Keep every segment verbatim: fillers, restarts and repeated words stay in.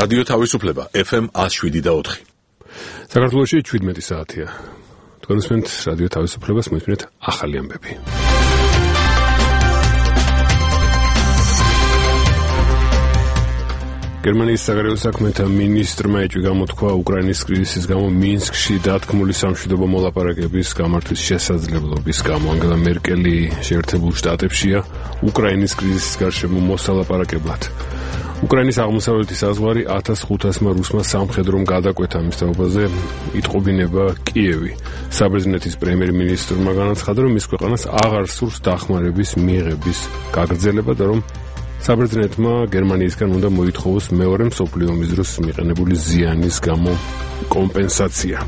რადიო თავისუფლება ეფ ემ ათს შვიდი და ოთხი. საქართველოში შვიდმეტი საათია. თქვენ უსმენთ რადიო თავისუფლებას, მოისმინეთ ახალი ამბები. გერმანიის საგარეო საქმეთა მინისტრმა ეჭვი გამოთქვა უკრაინის კრიზისის გამო მინსკში დათქმული სამშვიდობო მოლაპარაკების გამართვის შესაძლებლობის გამო. ანგელა მერკელი შეერთებულ შტატებშია უკრაინის კრიზისის გარშემო მოსალაპარაკებლად. უკრაინის აღმოსავლეთის საზღვარი ათას ხუთასმა რუსმა სამხედრომ გადაკვეთა ამის თაობაზე იტყობინება კიევი. საბერძნეთის პრემიერ-მინისტრმა განაცხადა, რომ მის ქვეყანას აღარ სურს დახმარების მიღების გაგრძელება და რომ საბერძნეთმა გერმანიისგან უნდა მოითხოვოს მეორე მსოფლიო ომის დროს მიყენებული ზიანის გამო კომპენსაცია.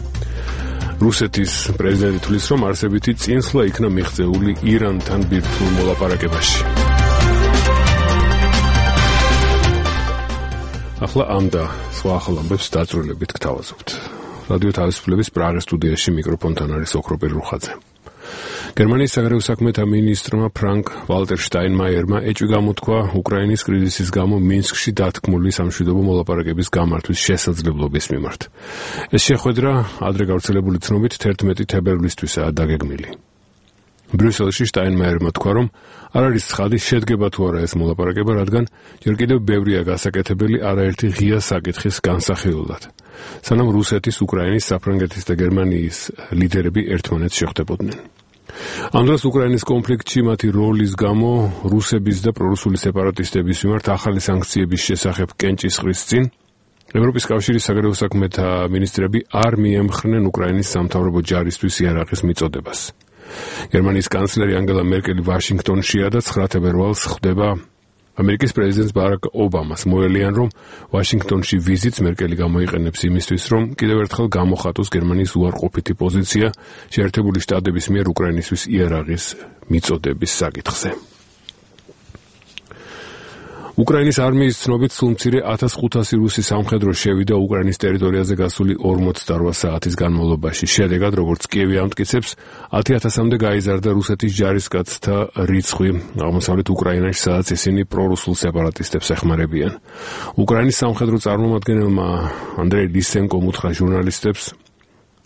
რუსეთის პრეზიდენტი თვლის, რომ არსებითი წინსვლა იქნა მიღწეული ირანთან ბირთვულ მოლაპარაკებაში. ახლა ამ და სხვა ახალ ამბებს დაწვრილებით გთავაზობთ. რადიო თავისუფლების პრაღის სტუდიაში მიკროფონთან არის ოქროპირ რუხაძე. გერმანიის საგარეო საქმეთა მინისტრმა ფრანკ ვალტერ შტაინმაიერმა ეჭვი გამოთქვა უკრაინის კრიზისის გამო მინსკში დათქმული სამშვიდობო მოლაპარაკების გამართვის შესაძლებლობის მიმართ. ეს შეხვედრა ადრე გავრცელებული ცნობით თერთმეტი თებერვლისთვისაა დაგეგმილი. ბრიუსელში შტაინმაიერმა თქვა, რომ არ არის ცხადი შედგება თუ არა ეს მოლაპარაკება, რადგან ჯერ კიდევ ბევრია გასაკეთებელი არაერთი ღია საკითხის განსახილველად. სანამ რუსეთის, უკრაინის, საფრანგეთის და გერმანიის ლიდერები ერთმანეთს შეხვდებოდნენ. ამ დროს უკრაინის კონფლიქტში მათი როლის გამო რუსების და პრორუსული სეპარატისტების მიმართ ახალი სანქციების შესახებ კენჭისყრის წინ ევროპის კავშირის საგარეო საქმეთა მინისტრები არ მიემხრნენ უკრაინის სამთავრობო ჯარისთვის იარაღის მიწოდებას. გერმანიის კანცლერი ანგელა მერკელი ვაშინგტონშია და ცხრა თებერვალს ხვდება ამერიკის პრეზიდენტს ბარაკ ობამას. მოელიან, რომ ვაშინგტონში ვიზიტს მერკელი გამოიყენებს იმისთვის, რომ კიდევ ერთხელ გამოხატოს გერმანიის უარყოფითი პოზიცია შეერთებული შტატების მიერ უკრაინისთვის იარაღის მიწოდების საკითხზე. უკრაინის არმიის ცნობით სულ მცირე ათას ხუთასი რუსი სამხედრო შევიდა უკრაინის ტერიტორიაზე გასული ორმოცდარვა საათის განმავლობაში. შედეგად, როგორც კიევი ამტკიცებს, ათი ათასამდე გაიზარდა რუსეთის ჯარისკაცთა რიცხვი აღმოსავლეთ უკრაინაში, სადაც ისინი პრორუსულ სეპარატისტებს ეხმარებიან. უკრაინის სამხედრო წარმომადგენელმა ანდრეი ლისენკომ უთხრა ჟურნალისტებს,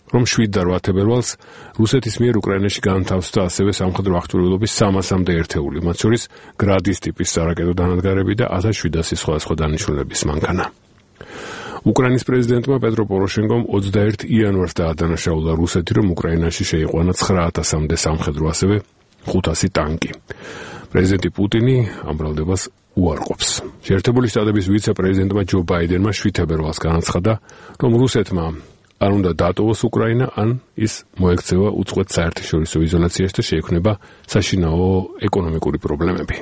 რომ შვიდ და რვა თებერვალს რუსეთის მიერ უკრაინაში განთავსდა ასევე სამხედრო აღჭურვილობის სამასამდე ერთეული, მათ შორის გრადის ტიპის სარაკეტო დანადგარები და ათას შვიდასი სხვადასხვა დანიშნულების მანქანა. უკრაინის პრეზიდენტმა პეტრო პოროშენკომ ოცდაერთი იანვარს დაადანაშაულა რუსეთი, რომ უკრაინაში შეიყვანა ცხრა ათასამდე სამხედრო, ასევე ხუთასი ტანკი. პრეზიდენტი პუტინი ამ ბრალდებას უარყოფს. შეერთებული შტატების ვიცე-პრეზიდენტმა ჯო ბაიდენმა შვიდ თებერვალს განაცხადა, რომ რუსეთმა არ უნდა დატოვოს უკრაინა, ან ის მოექცევა უწყვეტ საერთაშორისო იზოლაციაში და შეექმნება საშინაო ეკონომიკური პრობლემები.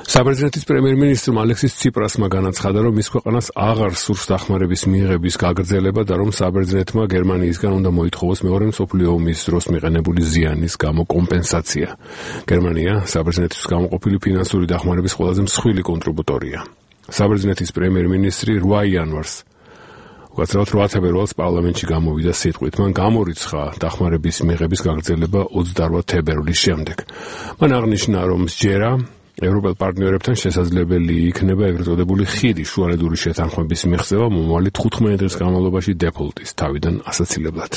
საბერძნეთის პრემიერ-მინისტრმა ალექსის ციპრასმა განაცხადა, რომ მის ქვეყანას აღარ სურს დახმარების მიღების გაგრძელება და რომ საბერძნეთმა გერმანიისგან უნდა მოითხოვოს მეორე მსოფლიო ომის დროს მიყენებული ზიანის გამო კომპენსაცია. გერმანია საბერძნეთის გამოყოფილი ფინანსური დახმარების ყველაზე მსხვილი კონტრიბუტორია. საბერძნეთის პრემიერ-მინისტრი რვა იანვარს უკაცრავად რვა თებერვალს პარლამენტში გამოვიდა სიტყვით. მან გამორიცხა დახმარების მიღების გაგრძელება ოცდარვა თებერვლის შემდეგ. მან აღნიშნა, რომ სჯერა ევროპელ პარტნიორებთან შესაძლებელი იქნება ეგრეთ წოდებული ხიდი შუალედური შეთანხმების მიღწევა მომავალი თხუთმეტი დღის განმავლობაში დეფოლტის თავიდან ასაცილებლად.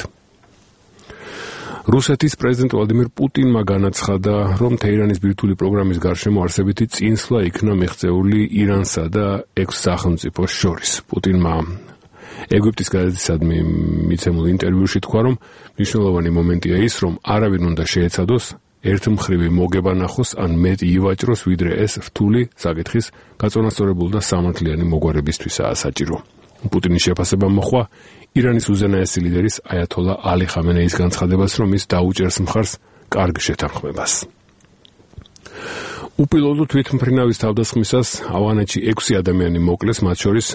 რუსეთის პრეზიდენტ ვლადიმირ პუტინმა განაცხადა, რომ თეირანის ბირთვული პროგრამის გარშემო არსებითი წინსვლა იქნა მიღწეული ირანსა და ექვს სახელმწიფოს შორის. პუტინმა ეგვიპტის გაზეთისადმი მიცემულ ინტერვიუში თქვა, რომ მნიშვნელოვანი მომენტია ის, რომ არავინ უნდა შეეცადოს ერთმხრივი მოგება ნახოს, ან მეტი ივაჭროს, ვიდრე ეს რთული საკითხის გაწონასწორებული და სამართლიანი მოგვარებისთვისაა საჭირო. პუტინის შეფასება მოხვა ირანის უზენაესი ლიდერის აიათოლა ალი ხამენეის განცხადებას, რომ ის დაუჭერს მხარს კარგ შეთანხმებას. უპილოტო თვითმფრინავის თავდასხმისას ავღანეთში ექვსი ადამიანი მოკლეს, მათ შორის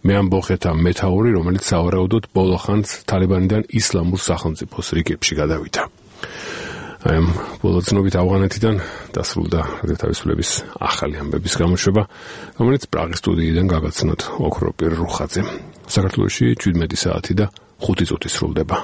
მეამბოხეთა მეთაური, რომელიც სავარაუდოდ ბოლო ხანს თალიბანიდან ისლამურ სახელმწიფოს რიგებში გადავიდა. აი ამ ბოლო ცნობით ავღანეთიდან დასრულდა რადიო თავისუფლების ახალი ამბების გამოშვება, რომელიც პრაღის სტუდიიდან გაგაცნოთ ოქროპირ რუხაძემ. საქართველოში შვიდმეტი საათი და ხუთი წუთი სრულდება.